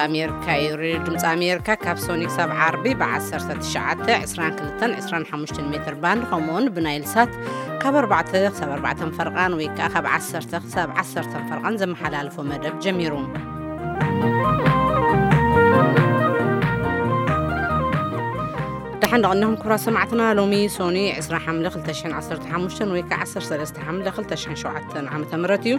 ኣሜሪካ እዩ። ሬድዮ ድምፂ ኣሜሪካ ካብ ሶኒ ክሳብ ዓርቢ ብ19፣ 22፣ 25 ሜትር ባንድ፣ ከምኡውን ብናይል ሳት ካብ ኣርባዕተ ክሳብ ኣርባዕተ ፈርቓን ወይ ከዓ ካብ ዓሰርተ ክሳብ ዓሰርተ ፈርቓን ዘመሓላልፎ መደብ ጀሚሩ። ደሓን ደቐኒኹም ክቡራት ሰማዕትና፣ ሎሚ ሶኒ ዕስራ ሓምለ ክልተ ሽሕን ዓሰርተ ሓሙሽተን ወይ ከዓ ዓሰርተ ሰለስተ ሓምለ ክልተ ሽሕን ሸውዓተን ዓመተ ምህረት እዩ።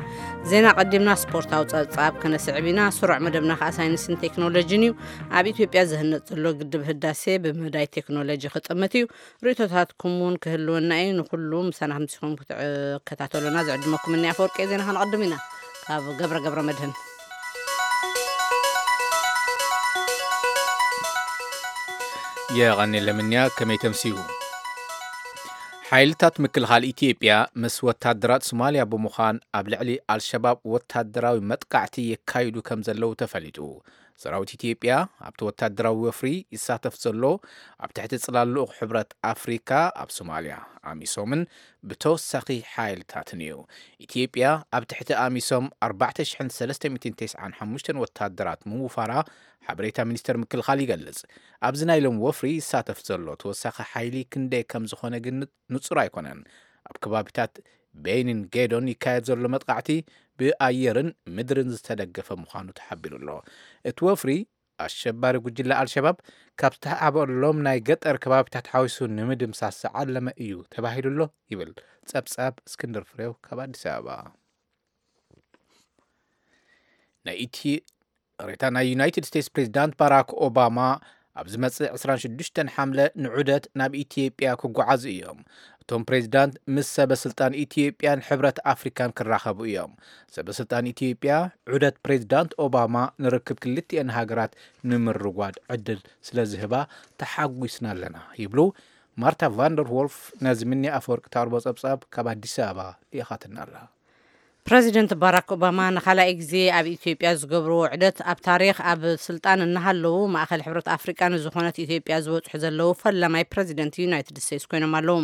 ዜና ቀዲምና ስፖርታዊ ጸብጻብ ከነስዕብ ኢና። ስሩዕ መደብና ከዓ ሳይንስን ቴክኖሎጂን እዩ። ኣብ ኢትዮጵያ ዝህነጽ ዘሎ ግድብ ህዳሴ ብመዳይ ቴክኖሎጂ ክጥምት እዩ። ርእይቶታትኩም እውን ክህልወና እዩ። ንኩሉ ምሳና ከምሲኹም ክትከታተሉና ዝዕድመኩም እኒ ኣፈወርቂ ዜና ከነቐድም ኢና። ካብ ገብረ ገብረ መድህን። የቐኔለ ምንያ፣ ከመይ ተምስዩ? ሓይልታት ምክልኻል ኢትዮጵያ ምስ ወታደራት ሶማልያ ብምዃን ኣብ ልዕሊ ኣልሸባብ ወታደራዊ መጥቃዕቲ የካይዱ ከም ዘለዉ ተፈሊጡ። ሰራዊት ኢትዮጵያ ኣብቲ ወታደራዊ ወፍሪ ይሳተፍ ዘሎ ኣብ ትሕቲ ጽላል ልኡኽ ሕብረት ኣፍሪካ ኣብ ሶማልያ፣ ኣሚሶምን ብተወሳኺ ሓይልታትን እዩ። ኢትዮጵያ ኣብ ትሕቲ ኣሚሶም ኣርባዕተ ሽሕን ሰለስተ ሚእትን ተስዓን ሓሙሽተን ወታደራት ምውፋራ ሓበሬታ ሚኒስቴር ምክልኻል ይገልጽ። ኣብዚ ናይ ሎም ወፍሪ ይሳተፍ ዘሎ ተወሳኺ ሓይሊ ክንደይ ከም ዝኾነ ግን ንጹር ኣይኮነን። ኣብ ከባቢታት ቤይንን ጌዶን ይካየድ ዘሎ መጥቃዕቲ ብኣየርን ምድርን ዝተደገፈ ምዃኑ ተሓቢሩ ኣሎ። እቲ ወፍሪ ኣሸባሪ ጉጅለ ኣልሸባብ ካብ ዝተሃበሎም ናይ ገጠር ከባቢታት ሓዊሱ ንምድምሳስ ዝዓለመ እዩ ተባሂሉ ኣሎ ይብል ጸብጻብ እስክንድር ፍሬው ካብ ኣዲስ ኣበባ። ናይ ኢቲ-፣ ሬታ ናይ ዩናይትድ ስቴትስ ፕሬዚዳንት ባራክ ኦባማ ኣብ ዝመጽእ ዕስራን ሽዱሽተን ሓምለ ንዑደት ናብ ኢትዮጵያ ክጓዓዙ እዮም። እቶም ፕሬዚዳንት ምስ ሰበ ስልጣን ኢትዮጵያን ሕብረት ኣፍሪካን ክራኸቡ እዮም። ሰበ ስልጣን ኢትዮጵያ ዑደት ፕሬዚዳንት ኦባማ ንርክብ ክልቲኤን ሃገራት ንምርጓድ ዕድል ስለ ዝህባ ተሓጒስና ኣለና ይብሉ። ማርታ ቫንደር ዎልፍ ነዚ ምኒ ኣፈወርቂ ታርቦ ጸብጻብ ካብ ኣዲስ ኣበባ ልኢኻትና ኣላ። ፕረዚደንት ባራክ ኦባማ ንኻልኣይ ግዜ ኣብ ኢትዮጵያ ዝገብርዎ ዑደት ኣብ ታሪኽ፣ ኣብ ስልጣን እናሃለዉ ማእኸል ሕብረት ኣፍሪቃ ንዝኾነት ኢትዮጵያ ዝበጽሑ ዘለዉ ፈላማይ ፕረዚደንት ዩናይትድ ስቴትስ ኮይኖም ኣለዉ።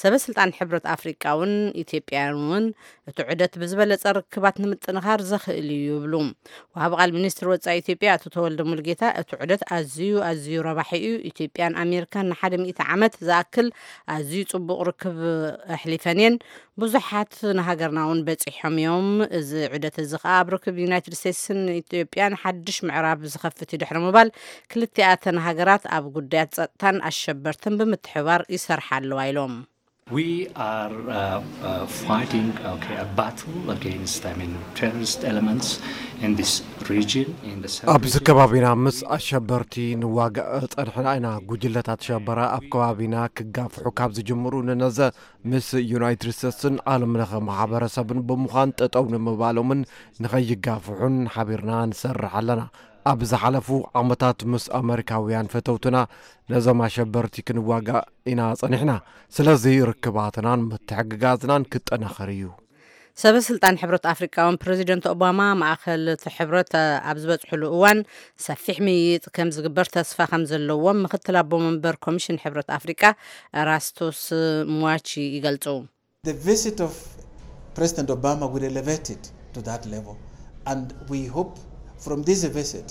ሰበ ስልጣን ሕብረት ኣፍሪቃ እውን ኢትዮጵያን እውን እቲ ዑደት ብዝበለጸ ርክባት ንምጥንኻር ዘኽእል እዩ ይብሉ። ወሃቢ ቃል ሚኒስትር ወጻኢ ኢትዮጵያ ኣቶ ተወልደ ሙሉጌታ እቲ ዑደት ኣዝዩ ኣዝዩ ረባሒ እዩ። ኢትዮጵያን ኣሜሪካን ንሓደ ሚእቲ ዓመት ዝኣክል ኣዝዩ ጽቡቕ ርክብ ኣሕሊፈን እየን። ብዙሓት ንሃገርና እውን በጺሖም እዮም። እዚ ዑደት እዚ ከኣ ኣብ ርክብ ዩናይትድ ስቴትስን ኢትዮጵያን ሓድሽ ምዕራብ ዝኸፍት እዩ ድሕሪ ምባል፣ ክልቲኣተን ሃገራት ኣብ ጉዳያት ጸጥታን ኣሸበርትን ብምትሕብባር ይሰርሓ ኣለዋ ኢሎም። We are uh, uh, fighting, okay, a battle against, I mean, terrorist elements in this region, in the sub-region. ኣብዚ ከባቢና ምስ ኣሸበርቲ ንዋጋእ ጸንሕና ኢና። ጉጅለታት ሸበራ ኣብ ከባቢና ክጋፍሑ ካብ ዝጅምሩ ንነዘ ምስ ዩናይትድ ስቴትስን ዓለም ለኸ ማሕበረሰብን ብምዃን ጠጠው ንምባሎምን ንኸይጋፍሑን ሓቢርና ንሰርሕ ኣለና። ኣብ ዝሓለፉ ዓመታት ምስ ኣመሪካውያን ፈተውትና ነዞም ኣሸበርቲ ክንዋጋእ ኢና ጸኒሕና። ስለዚ ርክባትናን ምትሕግጋዝናን ክጠናኸር እዩ። ሰበ ስልጣን ሕብረት ኣፍሪቃ እውን ፕረዚደንት ኦባማ ማእኸል እቲ ሕብረት ኣብ ዝበጽሕሉ እዋን ሰፊሕ ምይይጥ ከም ዝግበር ተስፋ ከም ዘለዎም ምክትል ኣቦ መንበር ኮሚሽን ሕብረት ኣፍሪቃ ኤራስቶስ ሙዋቺ ይገልጹ። The visit of President Obama will elevate it to that level, and we hope from this visit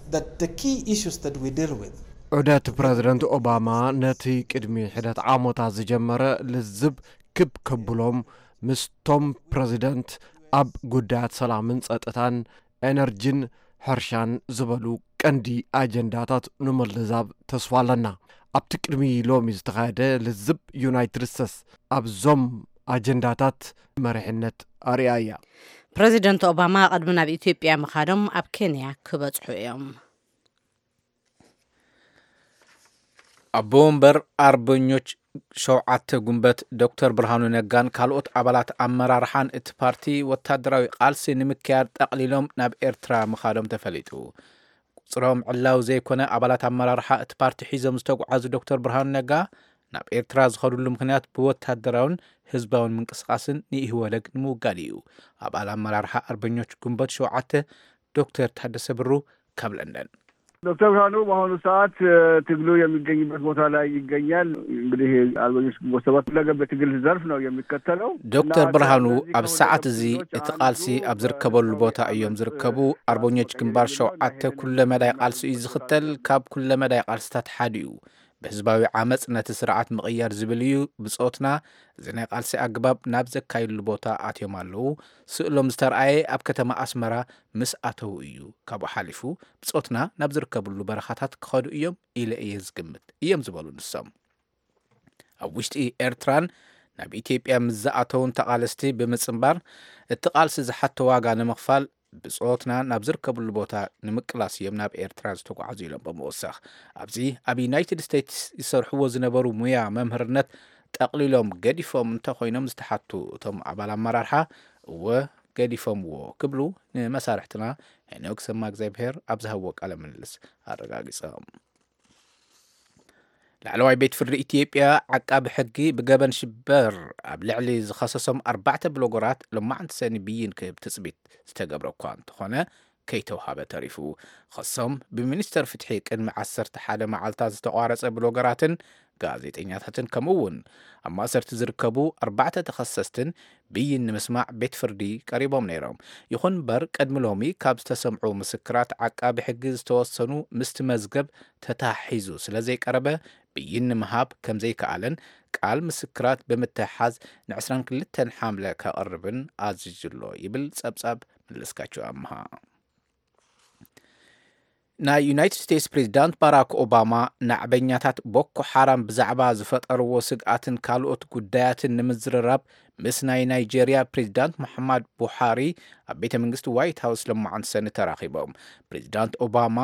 that the key issues that we deal with. ዑደት ፕረዚደንት ኦባማ ነቲ ቅድሚ ሕደት ዓሞታት ዝጀመረ ልዝብ ክብ ከብሎም ምስቶም ፕረዚደንት ኣብ ጉዳያት ሰላምን ጸጥታን ኤነርጂን ሕርሻን ዝበሉ ቀንዲ ኣጀንዳታት ንምልዛብ ተስፋ ኣለና። ኣብቲ ቅድሚ ሎሚ ዝተኻየደ ልዝብ ዩናይትድ ስቴትስ ኣብዞም ኣጀንዳታት መሪሕነት ኣርእያ እያ። ፕረዚደንት ኦባማ ቅድሚ ናብ ኢትዮጵያ ምኻዶም ኣብ ኬንያ ክበጽሑ እዮም። ኣቦ ወንበር ኣርበኞች ሸውዓተ ጉንበት ዶክተር ብርሃኑ ነጋን ካልኦት ኣባላት ኣመራርሓን እቲ ፓርቲ ወታደራዊ ቃልሲ ንምክያድ ጠቕሊሎም ናብ ኤርትራ ምኻዶም ተፈሊጡ። ቁጽሮም ዕላዊ ዘይኮነ ኣባላት ኣመራርሓ እቲ ፓርቲ ሒዞም ዝተጓዓዙ ዶክተር ብርሃኑ ነጋ ናብ ኤርትራ ዝኸዱሉ ምኽንያት ብወታደራውን ህዝባውን ምንቅስቃስን ንኢህወደግ ንምውጋድ እዩ። ኣባል ኣመራርሓ ኣርበኞች ጉንበት ሸውዓተ ዶክተር ታደሰ ብሩ ካብ ለንደን። ዶክተር ብርሃኑ በአሁኑ ሰዓት ትግሉ የሚገኝበት ቦታ ላይ ይገኛል። እንግዲህ አርበኞች ግንቦት ሰባት ሁለገብ የትግል ዘርፍ ነው የሚከተለው። ዶክተር ብርሃኑ፣ ኣብ ሰዓት እዚ እቲ ቃልሲ ኣብ ዝርከበሉ ቦታ እዮም ዝርከቡ። ኣርበኞች ግንባር ሸውዓተ ኩለ መዳይ ቃልሲ እዩ ዝኽተል። ካብ ኩለ መዳይ ቃልስታት ሓደ እዩ። ብህዝባዊ ዓመፅ ነቲ ስርዓት ምቕያር ዝብል እዩ ብፆትና። እዚ ናይ ቃልሲ ኣግባብ ናብ ዘካይድሉ ቦታ ኣትዮም ኣለዉ። ስእሎም ዝተረኣየ ኣብ ከተማ ኣስመራ ምስ ኣተዉ እዩ። ካብኡ ሓሊፉ ብፆትና ናብ ዝርከብሉ በረኻታት ክኸዱ እዮም ኢለ እየ ዝግምት እዮም ዝበሉ ንሶም። ኣብ ውሽጢ ኤርትራን ናብ ኢትዮጵያ ምስ ዝኣተውን ተቓለስቲ ብምጽንባር፣ እቲ ቃልሲ ዝሓቶ ዋጋ ንምኽፋል ብጾትና ናብ ዝርከብሉ ቦታ ንምቅላስ እዮም ናብ ኤርትራ ዝተጓዓዙ ኢሎም ብምውሳኽ፣ ኣብዚ ኣብ ዩናይትድ ስቴትስ ይሰርሕዎ ዝነበሩ ሙያ መምህርነት ጠቕሊሎም ገዲፎም እንተኾይኖም ዝተሓቱ እቶም ኣባል ኣመራርሓ፣ እወ ገዲፎምዎ ክብሉ ንመሳርሕትና ሄኖክ ሰማ እግዚኣብሔር ኣብ ዝሃብዎ ቃለ ምልልስ ኣረጋጊጾም። ላዕለዋይ ቤት ፍርዲ ኢትዮጵያ ዓቃቢ ሕጊ ብገበን ሽበር ኣብ ልዕሊ ዝኸሰሶም ኣርባዕተ ብሎገራት ሎማዕንቲ ሰኒ ብይን ክህብ ትጽቢት ዝተገብረ እኳ እንተኾነ፣ ከይተውሃበ ተሪፉ። ኸሶም ብሚኒስተር ፍትሒ ቅድሚ ዓሰርተ ሓደ መዓልታት ዝተቋረጸ ብሎገራትን ጋዜጠኛታትን ከምኡ እውን ኣብ ማእሰርቲ ዝርከቡ ኣርባዕተ ተኸሰስትን ብይን ንምስማዕ ቤት ፍርዲ ቀሪቦም ነይሮም። ይኹን እምበር ቅድሚ ሎሚ ካብ ዝተሰምዑ ምስክራት ዓቃቢ ሕጊ ዝተወሰኑ ምስቲ መዝገብ ተታሒዙ ስለ ዘይቀረበ ብይን ንምሃብ ከም ዘይከኣለን ቃል ምስክራት ብምትሕሓዝ ን ዕስራን ክልተን ሓምለ ከቕርብን ኣዚዙ ኣሎ ይብል ጸብጻብ መለስካቸው ኣምሃ። ናይ ዩናይትድ ስቴትስ ፕሬዚዳንት ባራክ ኦባማ ናዕበኛታት ቦኮ ሓራም ብዛዕባ ዝፈጠርዎ ስግኣትን ካልኦት ጉዳያትን ንምዝርራብ ምስ ናይ ናይጄርያ ፕሬዚዳንት ሙሓማድ ቡሃሪ ኣብ ቤተ መንግስቲ ዋይት ሃውስ ሎማዓንቲ ሰኒ ተራኺቦም። ፕሬዚዳንት ኦባማ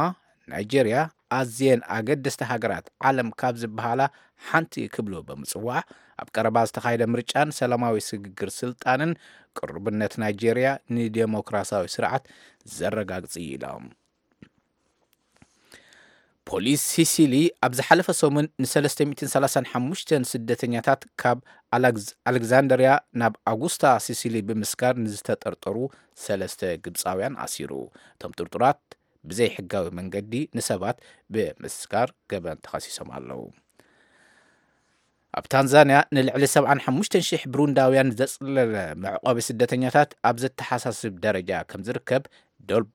ናይጄርያ ኣዝየን ኣገደስቲ ሃገራት ዓለም ካብ ዝበሃላ ሓንቲ ክብሉ ብምጽዋዕ፣ ኣብ ቀረባ ዝተኻየደ ምርጫን ሰላማዊ ስግግር ስልጣንን ቅሩብነት ናይጄርያ ንዴሞክራሲያዊ ስርዓት ዘረጋግጽ እዩ ኢሎም። ፖሊስ ሲሲሊ ኣብ ዝሓለፈ ሰሙን ን ሰለስተ ሚእትን ሰላሳን ሓሙሽተን ስደተኛታት ካብ ኣላግዝ-፣ ኣሌግዛንደርያ ናብ ኣጉስታ ሲሲሊ ብምስጋር ንዝተጠርጠሩ ሰለስተ ግብፃውያን ኣሲሩ። እቶም ጥርጡራት ብዘይ ሕጋዊ መንገዲ ንሰባት ብምስጋር ገበን ተኸሲሶም ኣለዉ። ኣብ ታንዛንያ ንልዕሊ ሰብዓን ሓሙሽተን ሽሕ ብሩንዳውያን ዘጽለለ መዕቆቢ ስደተኛታት ኣብ ዘተሓሳስብ ደረጃ ከም ዝርከብ ዶብ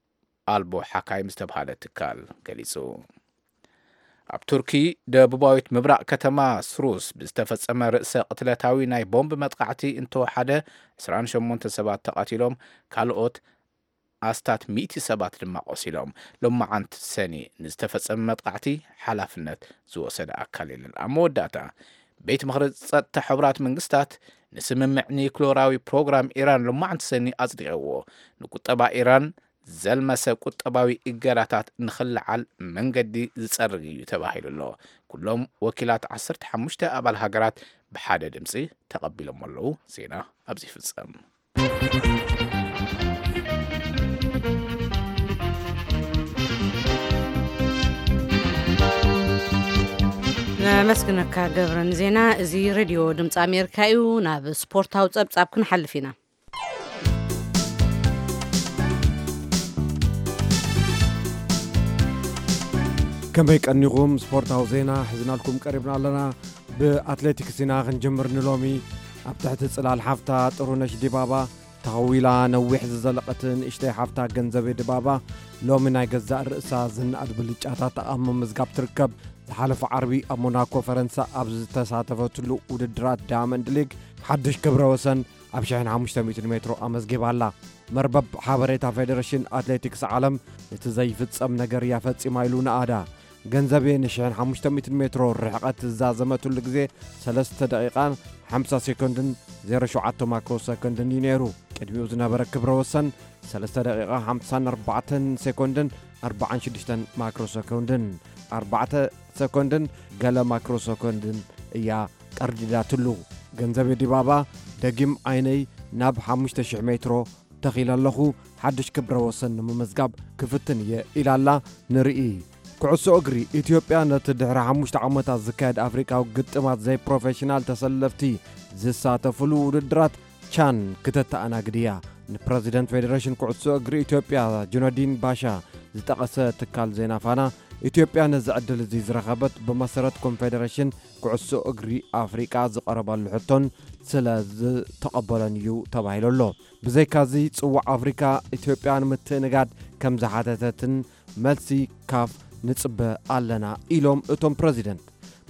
ኣልቦ ሓካይም ዝተብሃለ ትካል ገሊጹ። ኣብ ቱርኪ ደቡባዊት ምብራቕ ከተማ ስሩስ ብዝተፈጸመ ርእሰ ቅትለታዊ ናይ ቦምብ መጥቃዕቲ እንተወሓደ ዕስራን ሸሞንተ ሰባት ተቐቲሎም፣ ካልኦት ኣስታት ሚእቲ ሰባት ድማ ቆሲሎም። ሎማዓንቲ ሰኒ ንዝተፈጸመ መጥቃዕቲ ሓላፍነት ዝወሰደ ኣካል የለን። ኣብ መወዳእታ፣ ቤት ምኽሪ ጸጥታ ሕቡራት መንግስታት ንስምምዕ ኒክሎራዊ ፕሮግራም ኢራን ሎማዓንቲ ሰኒ ኣጽዲቕዎ። ንቁጠባ ኢራን ዘልመሰ ቁጠባዊ እገዳታት ንኽልዓል መንገዲ ዝጸርግ እዩ ተባሂሉ ኣሎ። ኩሎም ወኪላት ዓሰርተ ሓሙሽተ ኣባል ሃገራት ብሓደ ድምጺ ተቐቢሎም ኣለዉ። ዜና ኣብዚ ይፍጸም። ነመስግነካ ገብረ ንዜና። እዚ ሬድዮ ድምፂ ኣሜሪካ እዩ። ናብ ስፖርታዊ ጸብጻብ ክንሓልፍ ኢና። ከመይ ቀኒኹም? ስፖርታዊ ዜና ሒዝናልኩም ቀሪብና ኣለና። ብኣትሌቲክስ ኢና ክንጅምር ንሎሚ። ኣብ ትሕቲ ጽላል ሓፍታ ጥሩነሽ ዲባባ ተኸዊላ ነዊሕ ዝዘለቐት ንእሽተይ ሓፍታ ገንዘቤ ድባባ ሎሚ ናይ ገዛእ ርእሳ ዝነኣድ ብልጫታት ኣብ ምምዝጋብ ትርከብ። ዝሓለፈ ዓርቢ ኣብ ሞናኮ ፈረንሳ ኣብ ዝተሳተፈትሉ ውድድራት ዳያመንድ ሊግ ሓድሽ ክብረ ወሰን ኣብ ሽሕን ሓሙሽተ ሚእትን ሜትሮ ኣመዝጊባ ኣላ። መርበብ ሓበሬታ ፌደሬሽን ኣትሌቲክስ ዓለም፣ "እቲ ዘይፍጸም ነገር እያ ፈጺማ" ኢሉ ነኣዳ። ገንዘቤ ንሽሕን ሓሙሽተ ሚእትን ሜትሮ ርሕቐት ዝዛዘመትሉ ግዜ ሰለስተ ደቂቓን ሓምሳ ሴኮንድን ዜሮ ሸውዓተ ማክሮ ሰኮንድን እዩ ነይሩ። ቅድሚኡ ዝነበረ ክብረ ወሰን ሰለስተ ደቂቓ ሓምሳን ኣርባዕተን ሴኮንድን ኣርባዓን ሽዱሽተን ማክሮ ሰኮንድን፣ ኣርባዕተ ሰኮንድን ገለ ማክሮ ሰኮንድን እያ ቀርዲዳትሉ። ገንዘቤ ዲባባ ደጊም ዓይነይ ናብ ሓሙሽተ ሽሕ ሜትሮ ተኺለ ኣለኹ፣ ሓድሽ ክብረ ወሰን ንምምዝጋብ ክፍትን እየ ኢላ ኣላ። ንርኢ። ኩዕሶ እግሪ፣ ኢትዮጵያ ነቲ ድሕሪ ሓሙሽተ ዓመታት ዝካየድ ኣፍሪቃዊ ግጥማት ዘይፕሮፌሽናል ተሰለፍቲ ዝሳተፍሉ ውድድራት ቻን ክተተኣናግድ እያ። ንፕረዚደንት ፌዴሬሽን ኩዕሶ እግሪ ኢትዮጵያ ጁነዲን ባሻ ዝጠቐሰ ትካል ዜና ፋና፣ ኢትዮጵያ ነዚ ዕድል እዚ ዝረኸበት ብመሰረት ኮንፌደሬሽን ኩዕሶ እግሪ ኣፍሪቃ ዝቐረበሉ ሕቶን ስለ ዝተቐበሎን እዩ ተባሂሉ ኣሎ። ብዘይካዚ ጽዋዕ ኣፍሪቃ ኢትዮጵያ ንምትእንጋድ ከም ዝሓተተትን መልሲ ካፍ ንጽበ ኣለና ኢሎም እቶም ፕረዚደንት።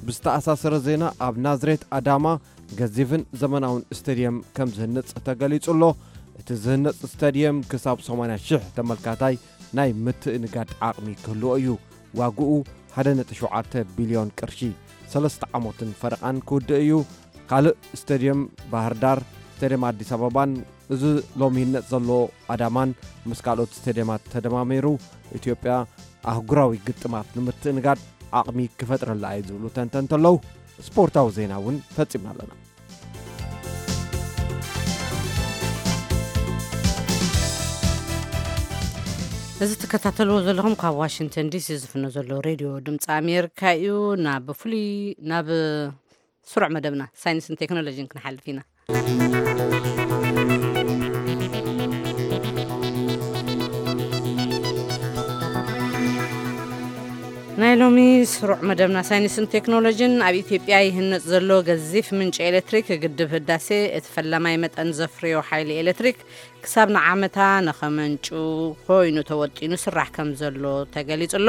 ብዝተኣሳሰረ ዜና ኣብ ናዝሬት ኣዳማ ገዚፍን ዘመናውን ስቴድየም ከም ዝህነጽ ተገሊጹ ኣሎ። እቲ ዝህነጽ ስቴድየም ክሳብ ሰማንያ ሽሕ ተመልካታይ ናይ ምትእንጋድ ዓቕሚ ክህልዎ እዩ። ዋግኡ ሓደ ነጥቢ ሸውዓተ ቢልዮን ቅርሺ ሰለስተ ዓመትን ፈረቓን ክውድእ እዩ። ካልእ ስቴድየም ባህር ዳር፣ ስቴድየም ኣዲስ ኣበባን እዚ ሎሚ ይህነጽ ዘሎ ኣዳማን ምስ ካልኦት ስቴድየማት ተደማሚሩ ኢትዮጵያ ኣህጉራዊ ግጥማት ንምትእንጋድ ዓቕሚ ክፈጥረላ እዩ ዝብሉ ተንተንቲ ኣለዉ። ስፖርታዊ ዜና እውን ፈጺምና ኣለና። እዚ ትከታተልዎ ዘለኹም ካብ ዋሽንግተን ዲሲ ዝፍኖ ዘሎ ሬድዮ ድምፂ ኣሜሪካ እዩ። ናብ ፍሉይ ናብ ስሩዕ መደብና ሳይንስን ቴክኖሎጂን ክንሓልፍ ኢና። ናይ ሎሚ ስሩዕ መደብና ሳይንስን ቴክኖሎጂን ኣብ ኢትዮጵያ ይህነፅ ዘሎ ገዚፍ ምንጪ ኤሌክትሪክ ግድብ ህዳሴ እቲ ፈላማይ መጠን ዘፍርዮ ሓይሊ ኤሌክትሪክ ክሳብ ንዓመታ ንኸመንጩ ኮይኑ ተወጢኑ ስራሕ ከም ዘሎ ተገሊጹ ኣሎ።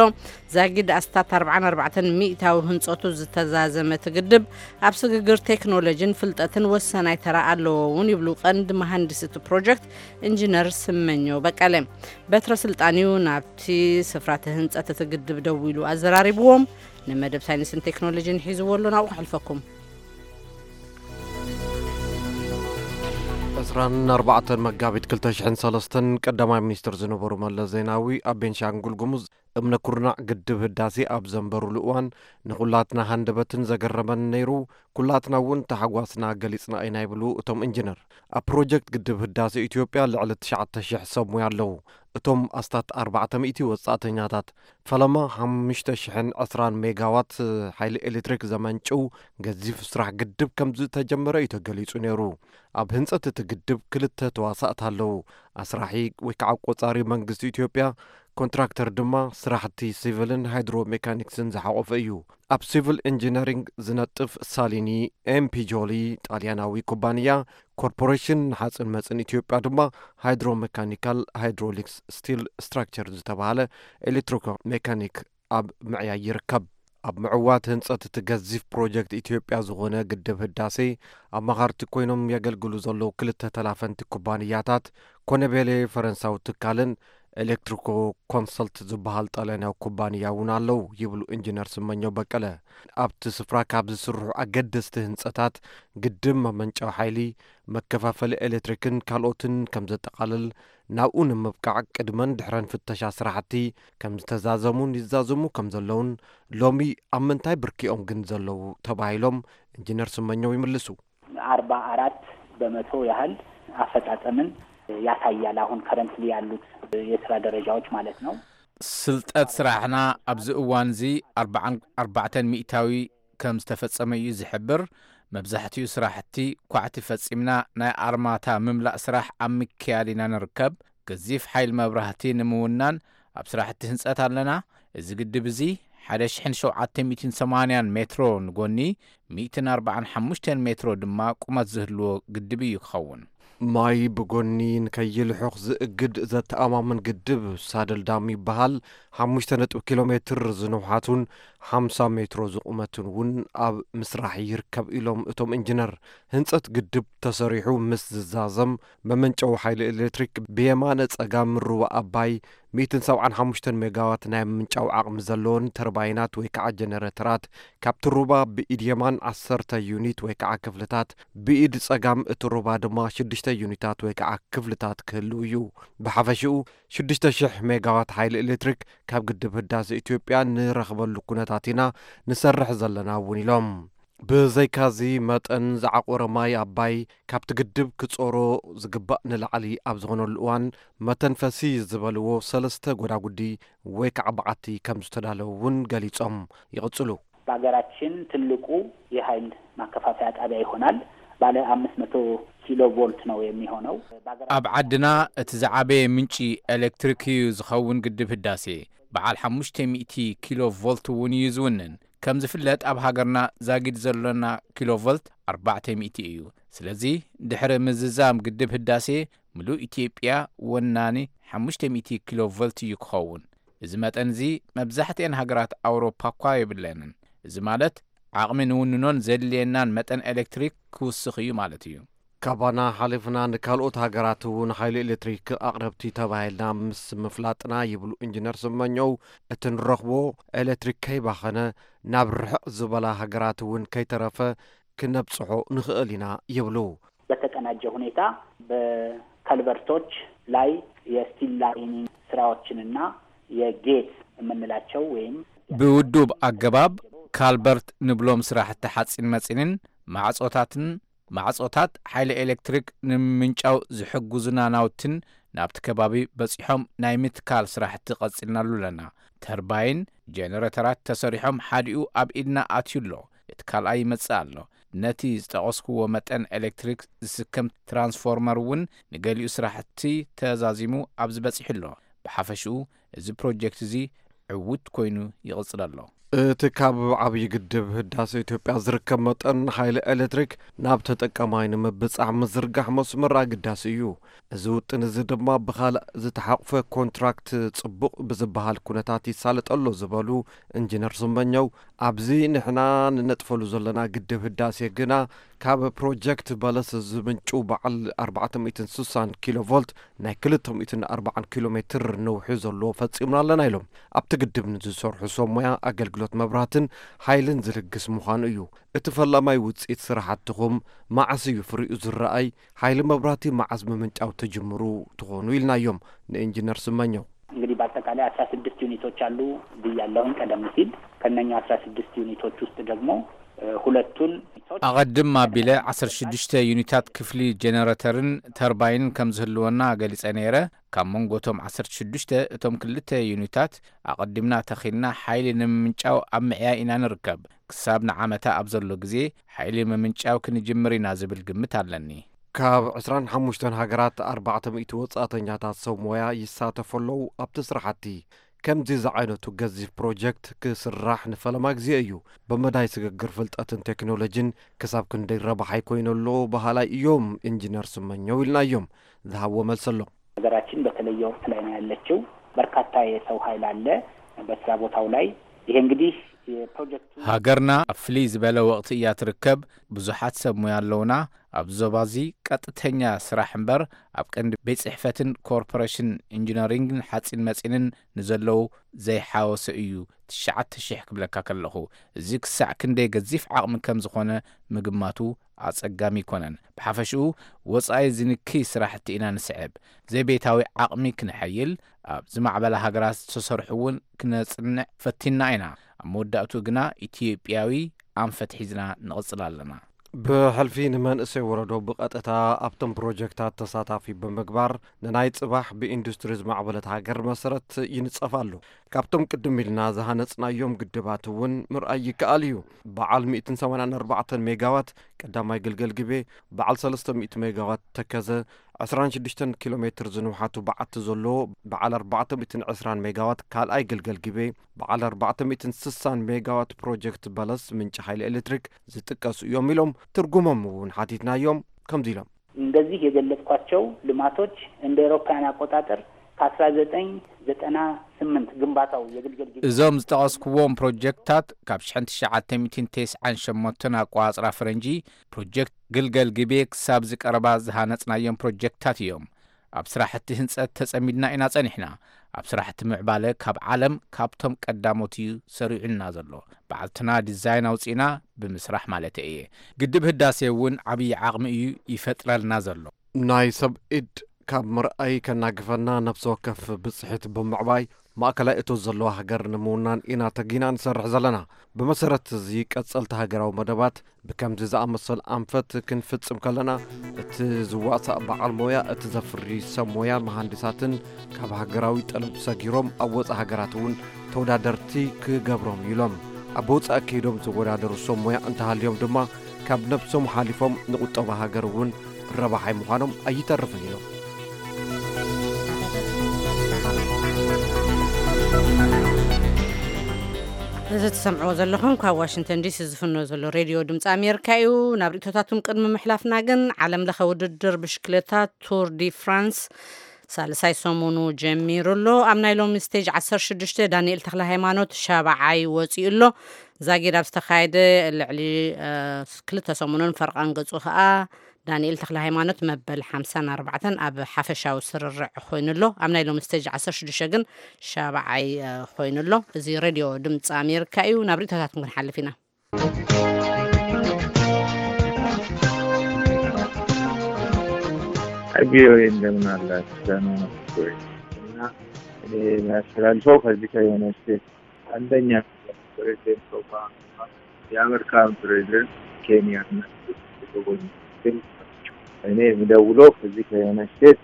ዛጊድ ኣስታት ኣርብዓን ኣርባዕተን ሚእታዊ ህንጸቱ ዝተዛዘመ እቲ ግድብ ኣብ ስግግር ቴክኖሎጂን ፍልጠትን ወሳናይ ተራ ኣለዎ እውን ይብሉ ቀንዲ መሃንዲስ እቲ ፕሮጀክት ኢንጂነር ስመኘው በቀለ። በትረ ስልጣንዩ ናብቲ ስፍራ እቲ ህንጸት እቲ ግድብ ደው ኢሉ ኣዘራሪብዎም። ንመደብ ሳይንስን ቴክኖሎጂን ሒዝዎ ኣሎ፣ ናብኡ ክሕልፈኩም። ዕስራን ኣርባዕተን መጋቢት ክልተ ሽሕን ሰለስተን ቀዳማይ ሚኒስትር ዝነበሩ መለስ ዜናዊ ኣብ ቤንሻንጉል ጉሙዝ እምነ ኩርናዕ ግድብ ህዳሴ ኣብ ዘንበሩሉ እዋን ንኹላትና ሃንደበትን ዘገረመን ነይሩ፣ ኩላትና እውን ተሓጓስና ገሊጽና ኢና ይብሉ እቶም ኢንጂነር። ኣብ ፕሮጀክት ግድብ ህዳሴ ኢትዮጵያ ልዕሊ ትሽዓተ ሽሕ ሰብ ሙያ ኣለዉ። እቶም ኣስታት ኣርባዕተ ሚእቲ ወጻእተኛታት ፈለማ ሓሙሽተ ሽሕን ዕስራን ሜጋዋት ሓይሊ ኤሌክትሪክ ዘመንጭው ገዚፍ ስራሕ ግድብ ከም ዝተጀመረ እዩ ተገሊጹ ነይሩ። ኣብ ህንጸት እቲ ግድብ ክልተ ተዋሳእቲ ኣለዉ። ኣስራሒ ወይ ከዓ ቆጻሪ መንግስቲ ኢትዮጵያ፣ ኮንትራክተር ድማ ስራሕቲ ሲቪልን ሃይድሮ ሜካኒክስን ዝሓቆፈ እዩ። ኣብ ሲቪል ኢንጂነሪንግ ዝነጥፍ ሳሊኒ ኤምፒጆሊ ጣልያናዊ ኩባንያ፣ ኮርፖሬሽን ንሓፅን መፅን ኢትዮጵያ ድማ ሃይድሮ ሜካኒካል ሃይድሮሊክስ ስቲል ስትራክቸር ዝተባሃለ ኤሌክትሪኮ ሜካኒክ ኣብ ምዕያይ ይርከብ። ኣብ ምዕዋት ህንፀት እቲ ገዚፍ ፕሮጀክት ኢትዮጵያ ዝኾነ ግድብ ህዳሴ ኣማኻርቲ ኮይኖም የገልግሉ ዘለዉ ክልተ ተላፈንቲ ኩባንያታት ኮነቤሌ ፈረንሳዊ ትካልን ኤሌክትሪኮ ኮንሰልት ዝበሃል ጣልያናዊ ኩባንያ እውን ኣለዉ ይብሉ ኢንጂነር ስመኘው በቀለ። ኣብቲ ስፍራ ካብ ዝስርሑ ኣገደስቲ ህንፀታት ግድብ መመንጨዊ ሓይሊ፣ መከፋፈሊ ኤሌክትሪክን ካልኦትን ከም ዘጠቓልል ናብኡ ንምብቃዕ ቅድመን ድሕረን ፍተሻ ስራሕቲ ከም ዝተዛዘሙን ይዛዘሙ ከም ዘለውን ሎሚ ኣብ ምንታይ ብርኪኦም ግን ዘለዉ ተባሂሎም ኢንጂነር ስመኘው ይምልሱ። አርባ አራት በመቶ ያህል አፈጻጸምን ያሳያል። አሁን ከረንትሊ ያሉት የስራ ደረጃዎች ማለት ነው። ስልጠት ስራሕና ኣብዚ እዋን እዚ ኣርባዓን ኣርባዕተን ሚእታዊ ከም ዝተፈጸመ እዩ ዝሕብር። መብዛሕትኡ ስራሕቲ ኳዕቲ ፈጺምና ናይ ኣርማታ ምምላእ ስራሕ ኣብ ምክያድ ኢና ንርከብ። ገዚፍ ሓይል መብራህቲ ንምውናን ኣብ ስራሕቲ ህንጸት ኣለና። እዚ ግድብ እዚ ሓደ ሽሕን ሸውዓተ ሚእትን ሰማንያን ሜትሮ ንጎኒ፣ ሚእትን ኣርባዓን ሓሙሽተን ሜትሮ ድማ ቁመት ዝህልዎ ግድብ እዩ ክኸውን። ማይ ብጎኒ ንከይልሑኽ ዝእግድ ዘተኣማምን ግድብ ሳደል ዳም ይበሃል። ሓሙሽተ ነጥቢ ኪሎ ሜትር ዝንውሓቱን ሓምሳ ሜትሮ ዝቑመቱን እውን ኣብ ምስራሕ ይርከብ ኢሎም እቶም ኢንጂነር። ህንጸት ግድብ ተሰሪሑ ምስ ዝዛዘም መመንጨዊ ሓይሊ ኤሌክትሪክ ብየማነ ጸጋም ሩባ ኣባይ ሚእትን ሰብዓን ሓሙሽተን ሜጋዋት ናይ ምምንጫው ዓቕሚ ዘለወን ተርባይናት ወይ ከዓ ጀነሬተራት ካብቲ ሩባ ብኢድ የማን ዓሰርተ ዩኒት ወይ ከዓ ክፍልታት ብኢድ ጸጋም እቲ ሩባ ድማ ሽዱሽተ ዩኒታት ወይ ከዓ ክፍልታት ክህልው እዩ። ብሓፈሽኡ ሽዱሽተ ሽሕ ሜጋዋት ሓይሊ ኤሌክትሪክ ካብ ግድብ ህዳሰ ኢትዮጵያ ንረኽበሉ ኩነታት ኢና ንሰርሕ ዘለና እውን ኢሎም። ብዘይካዚ መጠን ዝዓቆረ ማይ ኣባይ ካብቲ ግድብ ክጾሮ ዝግባእ ንላዕሊ ኣብ ዝኾነሉ እዋን መተንፈሲ ዝበልዎ ሰለስተ ጎዳጉዲ ወይ ከዓ በዓቲ ከም ዝተዳለዉ እውን ገሊጾም ይቕጽሉ። በሀገራችን ትልቁ የሀይል ማከፋፈያ ጣቢያ ይሆናል። ባለ አምስት መቶ ኪሎ ቮልት ነው የሚሆነው። ኣብ ዓድና እቲ ዝዓበየ ምንጪ ኤሌክትሪክ እዩ ዝኸውን ግድብ ህዳሴ። በዓል ሓሙሽተ ሚእቲ ኪሎ ቮልት እውን እዩ ዝውንን። ከም ዝፍለጥ ኣብ ሃገርና ዛጊድ ዘሎና ኪሎ ቮልት ኣርባዕተ ሚእቲ እዩ። ስለዚ ድሕሪ ምዝዛም ግድብ ህዳሴ ምሉእ ኢትዮጵያ ወናኒ ሓሙሽተ ሚእቲ ኪሎ ቮልት እዩ ክኸውን። እዚ መጠን እዚ መብዛሕትኤን ሃገራት ኣውሮፓ እኳ የብለንን። እዚ ማለት ዓቕሚ ንውንኖን ዘድልየናን መጠን ኤሌክትሪክ ክውስኽ እዩ ማለት እዩ። ካባና ሓሊፍና ንካልኦት ሃገራት እውን ሓይሊ ኤሌክትሪክ ኣቕረብቲ ተባሂልና ምስ ምፍላጥና ይብሉ ኢንጂነር ስመኘው፣ እቲ ንረኽቦ ኤሌክትሪክ ከይባኸነ ናብ ርሕቕ ዝበላ ሃገራት እውን ከይተረፈ ክነብጽሖ ንኽእል ኢና ይብሉ። በተቀናጀ ሁኔታ በከልቨርቶች ላይ የስቲል ላይኒንግ ስራዎችንና የጌት የምንላቸው ወይም ብውዱብ ኣገባብ ካልበርት ንብሎም ስራሕቲ ሓፂን መፂንን ማዕፆታትን ማዕፆታት ሓይሊ ኤሌክትሪክ ንምምንጫው ዝሕግዙና ናውትን ናብቲ ከባቢ በፂሖም ናይ ምትካል ስራሕቲ ቀፂልናሉ ኣለና። ተርባይን ጀነሬተራት ተሰሪሖም ሓዲኡ ኣብ ኢድና ኣትዩ ኣሎ። እቲ ካልኣይ ይመጽእ ኣሎ። ነቲ ዝጠቐስክዎ መጠን ኤሌክትሪክ ዝስከም ትራንስፎርመር እውን ንገሊኡ ስራሕቲ ተዛዚሙ ኣብዚ በጺሑ ኣሎ። ብሓፈሽኡ እዚ ፕሮጀክት እዚ ዕዉት ኮይኑ ይቕጽል ኣሎ። እቲ ካብ ዓብዪ ግድብ ህዳሴ ኢትዮጵያ ዝርከብ መጠን ሓይሊ ኤሌክትሪክ ናብ ተጠቃማይ ንምብጻሕ ምዝርጋሕ መስመር ኣገዳሲ እዩ። እዚ ውጥን እዚ ድማ ብኻልእ ዝተሓቑፈ ኮንትራክት ጽቡቕ ብዝበሃል ኩነታት ይሳለጥ ኣሎ ዝበሉ ኢንጂነር ስመኘው፣ ኣብዚ ንሕና ንነጥፈሉ ዘለና ግድብ ህዳሴ ግና ካብ ፕሮጀክት በለስ ዝምንጩ በዓል ኣርባዕተ ሚእትን ስሳን ኪሎ ቮልት ናይ ክልተ ሚእትን ኣርባዓን ኪሎ ሜትር ነውሒ ዘለዎ ፈጺምና ኣለና ኢሎም። ኣብቲ ግድብ ንዝሰርሑ ሰብ ሞያ ኣገልግሎት መብራህትን ሓይልን ዝልግስ ምዃኑ እዩ። እቲ ፈላማይ ውፅኢት ስራሕትኹም መዓስ እዩ ፍሪኡ ዝረኣይ? ሓይሊ መብራህቲ መዓስ ምምንጫው ትጅምሩ ትኾኑ ኢልናዮም ንኢንጂነር ስመኘው። እንግዲህ በአጠቃላይ አስራ ስድስት ዩኒቶች አሉ ብያለሁኝ ቀደም ሲል። ከነኛ አስራ ስድስት ዩኒቶች ውስጥ ደግሞ እ፣ ሁለቱን ዩኒቶች ኣቐድም ኣቢለ ዓሰርተ ሽዱሽተ ዩኒታት ክፍሊ ጀነሬተርን ተርባይንን ከም ዝህልወና ገሊጸ ነይረ። ካብ መንጎ እቶም ዓሰርተ ሽዱሽተ እቶም ክልተ ዩኒታት ኣቐዲምና ተኺልና ሓይሊ ንምምንጫው ኣብ ምዕያይ ኢና ንርከብ። ክሳብ ንዓመታ ኣብ ዘሎ ግዜ ሓይሊ ምምንጫው ክንጅምር ኢና ዝብል ግምት ኣለኒ። ካብ ዕስራን ሓሙሽተን ሃገራት ኣርባዕተ ሚእቲ ወጻእተኛታት ሰብ ሞያ ይሳተፉ ኣለዉ ኣብቲ ስራሕቲ። ከምዚ ዝዓይነቱ ገዚፍ ፕሮጀክት ክስራሕ ንፈለማ ግዜ እዩ። ብመዳይ ስግግር ፍልጠትን ቴክኖሎጂን ክሳብ ክንደይ ረብሓ ይኮይኑ ኣሎ በሃላይ እዮም ኢንጂነር ስመኘው ኢልናዮም። ዝሃብዎ መልሲ ኣሎ። ሀገራችን በተለየ ወቅት ላይ ነው ያለችው። በርካታ የሰው ኃይል አለ በስራ ቦታው ላይ። ይሄ እንግዲህ የፕሮጀክቱ ሃገርና ኣብ ፍልይ ዝበለ ወቕቲ እያ ትርከብ። ብዙሓት ሰብ ሞያ ኣለውና። ኣብ ዞባ እዚ ቀጥተኛ ስራሕ እምበር ኣብ ቀንዲ ቤት ጽሕፈትን ኮርፖሬሽን ኢንጂነሪንግን ሓጺን መጺንን ንዘለዉ ዘይሓወሰ እዩ። ትሽዓተ ሽሕ ክብለካ ከለኹ፣ እዚ ክሳዕ ክንደይ ገዚፍ ዓቕሚ ከም ዝኾነ ምግማቱ ኣጸጋሚ ኣይኮነን። ብሓፈሽኡ ወጻኢ ዝንክይ ስራሕቲ ኢና ንስዕብ። ዘይቤታዊ ዓቕሚ ክነሐይል፣ ኣብ ዝማዕበላ ሃገራት ዝተሰርሑ እውን ክነጽንዕ ፈቲና ኢና። ኣብ መወዳእቱ ግና ኢትዮጵያዊ ኣንፈት ሒዝና ንቕጽል ኣለና። ብሕልፊ ንመንእሰይ ወለዶ ብቐጥታ ኣብቶም ፕሮጀክታት ተሳታፊ ብምግባር ንናይ ጽባሕ ብኢንዱስትሪ ዝማዕበለት ሃገር መሰረት ይንጸፍ ኣሎ። ካብቶም ቅድም ኢልና ዝሃነጽናዮም ግድባት እውን ምርኣይ ይከኣል እዩ። በዓል ሚእትን ሰማንያን ኣርባዕተን ሜጋዋት ቀዳማይ ግልገል ግቤ፣ በዓል ሰለስተ ሚእቲ ሜጋዋት ተከዘ፣ ዕስራን ሽዱሽተን ኪሎ ሜትር ዝንውሓቱ በዓቲ ዘለዎ በዓል ኣርባዕተ ሚእትን ዕስራን ሜጋዋት ካልኣይ ግልገል ግቤ፣ በዓል ኣርባዕተ ሚእትን ስሳን ሜጋዋት ፕሮጀክት በለስ ምንጪ ሓይሊ ኤሌክትሪክ ዝጥቀሱ እዮም ኢሎም። ትርጉሞም እውን ሓቲትናዮም። ከምዚ ኢሎም። እንደዚህ የገለጽኳቸው ልማቶች እንደ ኤሮፓውያን አቆጣጠር ከአስራ ዘጠኝ ዘጠና ስምንት ግንባታው የግልገል ግቤ እዞም ዝጠቐስኩዎም ፕሮጀክታት ካብ ሽሕን ትሽዓተ ሚእትን ተስዓን ሸሞንተን ኣቋጽራ ፈረንጂ ፕሮጀክት ግልገል ግቤ ክሳብ ዝቀረባ ዝሃነጽናዮም ፕሮጀክታት እዮም። ኣብ ስራሕቲ ህንጸት ተጸሚድና ኢና ጸኒሕና። ኣብ ስራሕቲ ምዕባለ ካብ ዓለም ካብቶም ቀዳሞት እዩ ሰሪዑና ዘሎ። ባዕልትና ዲዛይን ኣውጺእና ብምስራሕ ማለት እየ። ግድብ ህዳሴ እውን ዓብዪ ዓቕሚ እዩ ይፈጥረልና ዘሎ። ናይ ሰብ ኢድ ካብ ምርኣይ ከናግፈና ነፍሲ ወከፍ ብጽሒት ብምዕባይ ማእከላይ እቶት ዘለዋ ሃገር ንምውናን ኢና ተጊና ንሰርሕ ዘለና። ብመሰረት እዚ ቀጸልቲ ሃገራዊ መደባት ብከምዚ ዝኣመሰል ኣንፈት ክንፍጽም ከለና፣ እቲ ዝዋሳእ በዓል ሞያ፣ እቲ ዘፍሪ ሰብ ሞያን መሃንዲሳትን ካብ ሃገራዊ ጠለብ ሰጊሮም ኣብ ወጻኢ ሃገራት እውን ተወዳደርቲ ክገብሮም ኢሎም። ኣብ ወጻኢ ከይዶም ዝወዳደሩ ሰብ ሞያ እንተሃልዮም ድማ ካብ ነብሶም ሓሊፎም ንቁጠባ ሃገር እውን ረባሓይ ምዃኖም ኣይተርፍን ኢሎም። እዚ ትሰምዕዎ ዘለኹም ካብ ዋሽንግተን ዲሲ ዝፍኖ ዘሎ ሬድዮ ድምፂ ኣሜሪካ እዩ። ናብ ርእቶታቱም ቅድሚ ምሕላፍና ግን፣ ዓለም ለኸ ውድድር ብሽክሌታ ቱር ዲ ፍራንስ ሳልሳይ ሰሙኑ ጀሚሩ ኣሎ። ኣብ ናይ ሎሚ ስቴጅ ዓሰርተ ሽዱሽተ ዳንኤል ተኽለ ሃይማኖት ሻብዓይ ወፂኡ ኣሎ። ዛጊድ ኣብ ዝተኻየደ ልዕሊ ክልተ ሰሙንን ፈርቓን ገፁ ከዓ ዳንኤል ተኽለ ሃይማኖት መበል ሓምሳን ኣርባዕተን ኣብ ሓፈሻዊ ስርርዕ ኮይኑሎ። ኣብ ናይ ሎሚ ስቴጅ ዓሰርተ ሽዱሽተ ግን ሻብዓይ ኮይኑሎ። እዚ ሬድዮ ድምፂ ኣሜሪካ እዩ። ናብ ርእቶታትኩም ክንሓልፍ ኢና። ቪኦኤ፣ እንደምን አላችሁ? እና እኔ የሚያስተላልፈው ከዚህ ከዩናይትድ ስቴትስ አንደኛ፣ ፕሬዚደንት ኦባማ የአሜሪካን ፕሬዚደንት ኬንያ እኔ የምደውለው ከዚህ ከዩናይትድ ስቴትስ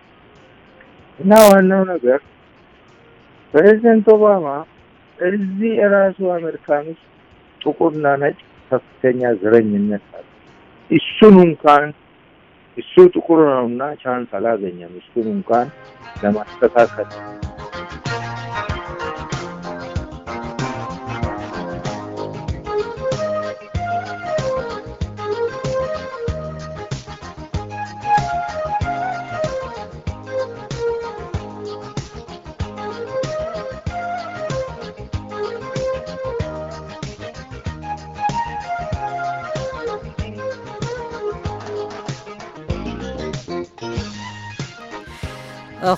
እና ዋናው ነገር ፕሬዚደንት ኦባማ እዚህ ራሱ አሜሪካን ውስጥ ጥቁርና ነጭ ከፍተኛ ዘረኝነት አለ። እሱን እንኳን እሱ ጥቁር ነውና ቻንስ አላገኘም። እሱን እንኳን ለማስተካከል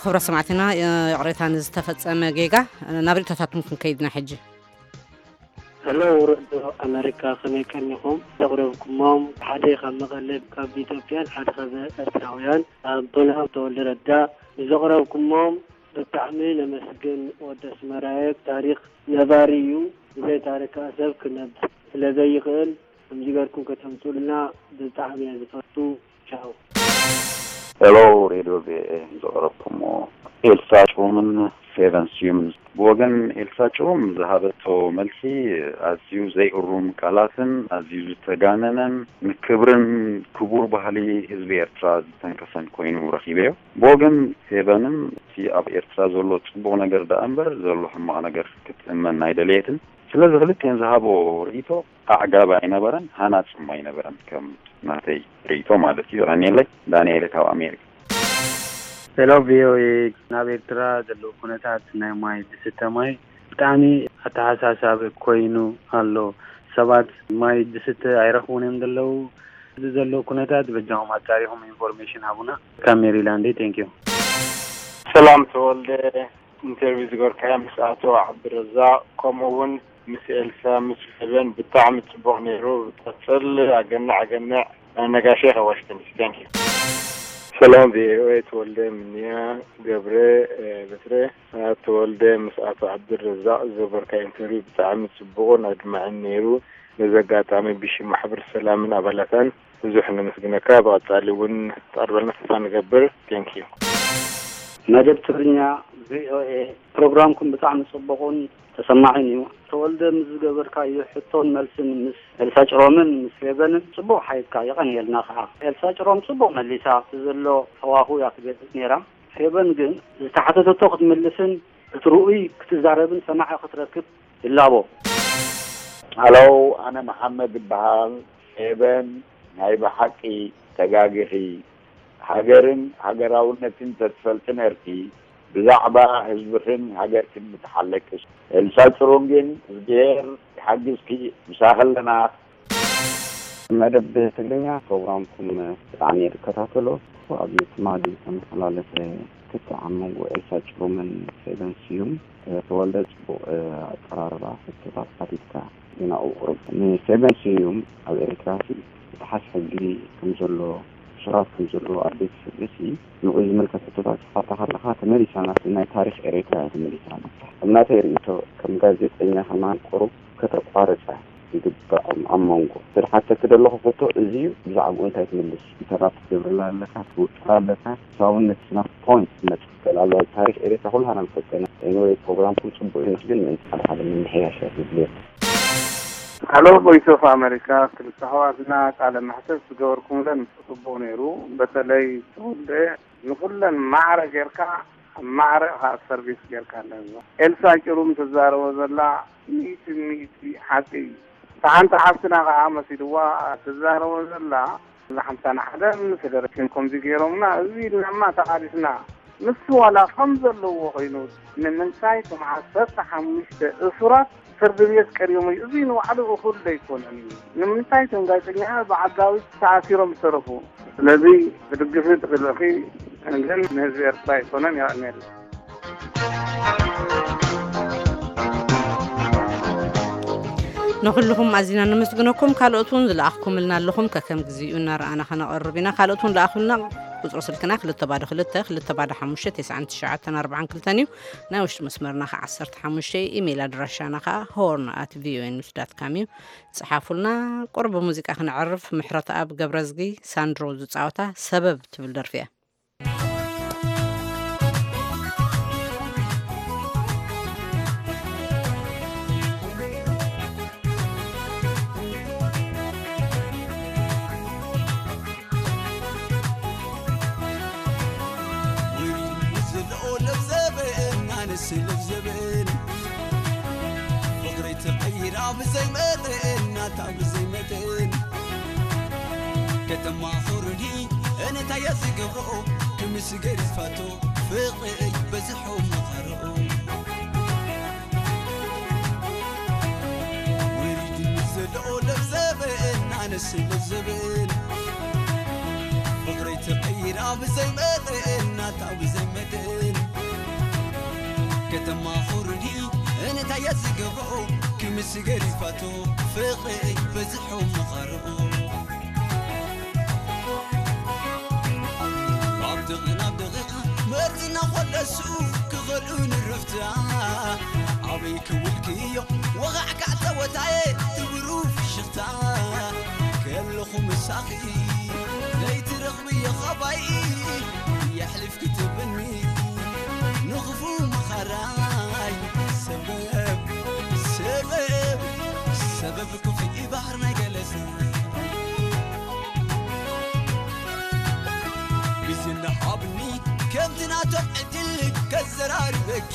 ክብረ ሰማዕትና፣ ይቕሬታ ንዝተፈጸመ ጌጋ። ናብ ርእቶታትኩም ክንከይድና ሕጂ። ሄሎ፣ ሬድዮ ኣመሪካ፣ ከመይ ቀኒኹም? ዘቕረብኩሞም ሓደ ካብ መቐለ፣ ካብ ኢትዮጵያን ሓደ ካብ ኤርትራውያን ኣቦና ተወልደ ረዳ። ብዘቕረብኩሞም ብጣዕሚ ነመስግን። ወዲ ኣስመራየ፣ ታሪኽ ነባሪ እዩ። ብዘይ ታሪኽ ከኣ ሰብ ክነብር ስለ ዘይኽእል፣ ከምዚ ገርኩም ከተምጹልና ብጣዕሚ እየ ዝፈቱ። ቻው። ሄሎ፣ ሬድዮ ቪኦኤ፣ ዘቕረብኩሞ ኤልሳ ጭሩምን ፌቨን ስዩምን። ብወገን ኤልሳ ጭሩም ዝሃበቶ መልሲ ኣዝዩ ዘይእሩም ቃላትን ኣዝዩ ዝተጋነነን ንክብርን ክቡር ባህሊ ህዝቢ ኤርትራ ዝተንከፈን ኮይኑ ረኺበዮ። ብወገን ፌቨንን እቲ ኣብ ኤርትራ ዘሎ ጽቡቕ ነገር ደኣ እምበር ዘሎ ሕማቕ ነገር ክትእመን ኣይደለየትን። ስለዚ ክልቲኤን ዝሃቦ ርእይቶ ኣዕጋቢ ኣይነበረን፣ ሃናጽ ድማ ኣይነበረን፣ ከም ናተይ ርእይቶ ማለት እዩ። የቐንየለይ። ዳንኤል ካብ ኣሜሪካ። ሄሎ ቪኦኤ፣ ናብ ኤርትራ ዘለዉ ኩነታት ናይ ማይ ዝስተ ማይ ብጣዕሚ ኣተሓሳሳቢ ኮይኑ ኣሎ። ሰባት ማይ ዝስተ ኣይረኽቡን እዮም ዘለዉ። እዚ ዘሎ ኩነታት በጃኹም ኣጣሪኹም ኢንፎርሜሽን ሃቡና። ካብ ሜሪላንድ፣ ቴንክ ዩ። ሰላም ተወልደ፣ ኢንተርቪው ዝገበርካዮ ምስ ኣቶ ዓብድረዛቅ ከምኡ እውን ምስ ኤልሳ ምስ ፌቨን ብጣዕሚ ጽቡቕ ነይሩ። ቀጽል። ኣገናዕ ኣገናዕ። ነጋሽ ካብ ዋሽንግተን ዲሲ። ቴንክ ዩ። ሰላም ቪኦኤ፣ ተወልደ ምንያ ገብረ በትረ። ኣቶ ተወልደ ምስ ኣቶ ዓብድረዛቅ ዝገበርካዮ ኢንተርቪው ብጣዕሚ ጽቡቕን ኣድማዕን ነይሩ። ነዚ ኣጋጣሚ ብሽም ማሕበር ሰላምን ኣባላታን ብዙሕ ነመስግነካ። ብቐጻሊ እውን ትቐርበልና ተስፋ ንገብር። ቴንክ ዩ። መደብ ትግርኛ ቪኦኤ፣ ፕሮግራምኩም ብጣዕሚ ጽቡቕን ተሰማዒን እዩ። ተወልደ ምስ ዝገበርካዮ ሕቶን መልስን ምስ ኤልሳ ጭሮምን ምስ ፌቨንን ጽቡቕ ሓይካ የቐንየልና ከኣ። ኤልሳ ጭሮም ጽቡቕ መሊሳ፣ እቲ ዘሎ ሃዋሁ እያ ትገልጽ ነይራ። ፌቨን ግን ዝተሓተተቶ ክትምልስን እቲ ርኡይ ክትዛረብን ሰማዒ ክትረክብ ይላቦ። ሃሎ፣ ኣነ መሓመድ እበሃል። ፌቨን ናይ ብሓቂ ተጋጊኺ። ሃገርን ሃገራውነትን ተትፈልጢ ነርኪ፣ ብዛዕባ ህዝብኽን ሃገርክን ምተሓለቅሽ። ኤልሳ ጭሩም ግን እዝግሄር ይሓግዝኪ፣ ምሳኺ ኣለና። መደብ ትግርኛ ፕሮግራምኩም ብጣዕሚ እየ ዝከታተሎ። ኣብዚ ትማሊ ዝተመሓላለፈ ክትዕ ኣብ መንጎ ኤልሳ ጭሩምን ፌቨን ስዩም ተወልደ ጽቡቕ ኣቀራርባ ሕቶታት ሓቲትካ ግን ኣብኡ ቁሩብ ንፌቨን ስዩም ኣብ ኤርትራ ሲ ምጥሓስ ሕጊ ከም ዘሎ እሱራት ከም ዘለዉ ኣብ ቤት ፍርዲ ሲ ንኡ ዝምልከት ሕቶታት ክትሓታ ከለኻ ተመሊሳ ናብቲ ናይ ታሪኽ ኤርትራ እያ ተመሊሳ። ኣብ ናተይ ርእይቶ ከም ጋዜጠኛ ከማን ቁሩብ ከተቋርጻ ይግባእ። ኣብ መንጎ ዝሓተኪ ዘለኹ ሕቶ እዚ እዩ። ብዛዕባኡ እንታይ ትምልስ? ኢንተራፕት ትገብረላ ኣለካ፣ ትውጥራ ኣለካ። ሳውነት ስናፍ ፖይንት ትመጽእ ትኽእል ኣለዋ። ታሪኽ ኤርትራ ኩላህና ንፈልጦ ኢና። ኤኒወይ ፕሮግራምኩም ጽቡቕ ይመስልን ምእንቲ ሓደ ሓደ ምምሕያሻት ይድልየኩም። ሃሎ ቮይስ ኦፍ ኣመሪካ፣ ክልተ ኣሕዋትና ቃለ መሕተት ዝገበርኩምለን ጽቡቕ ነይሩ። በተለይ ተወልደ ንኹለን ማዕረ ጌርካ ማዕረ ኢኻ ሰርቪስ ጌርካ ኣለካ። ኤልሳ ጭሩም ትዛረቦ ዘላ ሚእቲ ሚእቲ ሓቂ እዩ። እታ ሓንቲ ሓፍትና ከዓ መሲልዋ ትዛረቦ ዘላ፣ እዛ ሓምሳን ሓደን ፌደሬሽን ከምዚ ገይሮምና፣ እዚ ኢልናማ ተቓሊስና። ንሱ ዋላ ከም ዘለዎ ኮይኑ፣ ንምንታይ እቶም ዓሰርተ ሓሙሽተ እሱራት ፍርዲ ቤት ቀሪቦም እዩ? እዚ ንባዕሉ እኹል ዶ ኣይኮነን እዩ? ንምንታይ እቶም ጋዜጠኛታት ብዓጋዊት ተኣሲሮም ዝተረፉ? ስለዚ ብድግፊ ትኽእልኺ፣ ግን ንህዝቢ ኤርትራ ኣይኮነን። የቐንየልና። ንኹልኹም ኣዚና ነመስግነኩም። ካልኦት እውን ዝለኣኽኩምልና ኣለኹም፣ ከከም ግዜኡ እናረኣና ከነቐርብ ኢና። ካልኦት እውን ለኣኹልና። ቁጽሪ ስልክና ክልተ ባዶ ክልተ፣ ክልተ ባዶ ሓሙሽተ፣ ተስዓን ትሽዓተን ኣርባዓን ክልተን እዩ። ናይ ውሽጢ መስመርና ኸዓ ዓሰርተ ሓሙሽተ፣ ኢሜይል ኣድራሻና ኸዓ ሆርን ኣት ቪኦኤ ኒውስ ዳት ካም እዩ። ጽሓፉልና። ቁሩብ ብሙዚቃ ክነዕርፍ። ምሕረተኣብ ገብረዝጊ ሳንድሮ ዝጻወታ ሰበብ ትብል ደርፊ እያ። ወይኒ ምስ ዝለኦ ለብዘበን፣ ኣነስ ለብዘበን። ፍቕሪ ተቐይራ ብዘይ መጠን፣ ናታ ብዘይ መጠን። ከተማ ኹርዲ፣ እንታይ እየ ዝገብሮ? ክምስ ገሪፋቶ፣ ፍቕሪ በዝሖ መኻርኦ። ወሪዱ ዘለኦ ለብዘበን፣ ኣነስ ለብዘበን። ፍቕረይ ተቐይራ ብዘይ መጠን፣ ናታ ብዘይ መጠን። ከተማ ኹርዲ እንታይ እየ ዝገብሮ? ክምስ ገሪፋቶ፣ ፍቕረይ በዝሖ መኻርኦ። ካብ ደቒቕ ናብ ደቒቕ መርዝና ኮለሱ ክኸዱ ንርፍታ። ኣበይ ክውልክዮ ወቓዕካ ጸወታየ ትብሩ ፍሽኽታ። ከለኹ ምሳኺ ዘይትረኽብዮ ኻባይ የሕልፍ ክትብኒ ንኽፉ መኻራይ። ሰበብ ሰበብ ሰበብ ክፉ ባሕር ናይ ገለሰ ግዜ እንዳሃብኒ ከምቲ ናቶም ዕድል ከዘራርበኪ።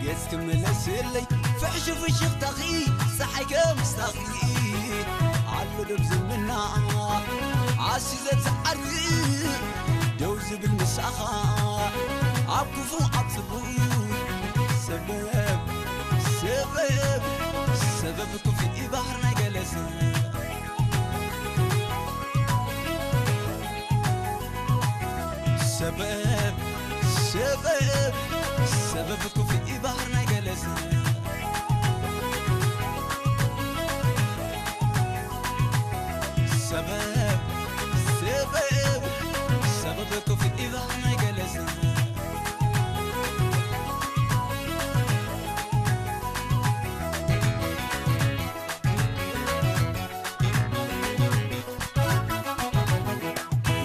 ገጽ ክምለስለይ ፍሕሹ ፍሽኽታኺ ጸሓይ ከምስታኺ ኣሎ ደብ ዝምና ኣስዩ ዘትዓርብ ደው ዝብል ምሳኻ ኣብ ክፉ ኣብ ጽቡቕ ሰበብ ሰበብ ሰበብ ክፉ ባሕር ናይ ገለሰ ሰበብ ሰበብ ሰበብ ክፉ ባሕር ናይ ገለሰ ሰበብ ሰበብ ሰበብ ክፉ ባሕር ናይ ገለሰ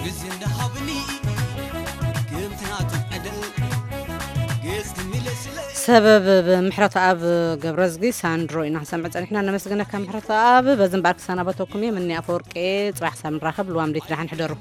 ግዜ እንዳሃብኒ ከምቲ ናቱ ዕድል ገጽ ክምለስለ ሰበብ ብምሕረተኣብ ገብረዝጊ ሳንድሮ ኢና ክንሰምዕ ጸኒሕና። ነመስግነካ ምሕረተኣብ። በዚ እምበኣር ክሰናበተኩም እየ። ምኒ ኣፈወርቂ፣ ጽባሕ ክሳብ ንራኸብ ልዋም ደይት ደሓን ሕደሩ።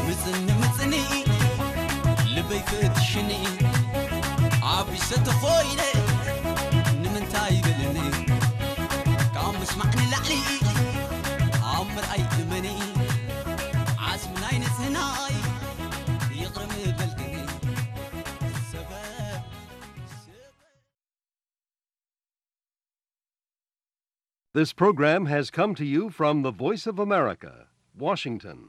ምጽኒ ምጽኒ ልበይ ፈትሽኒ ዓቢሰ ተኾይነ ንምንታይ በለኒ ካብ ምስማዕ ንላዕሊ ኣብ ምርኣይ እመኒ ዓስሚ ናይ ንጽህናይ ይቕረ ምበልክኒ ሰበብ This program has come to you from the Voice of America, Washington.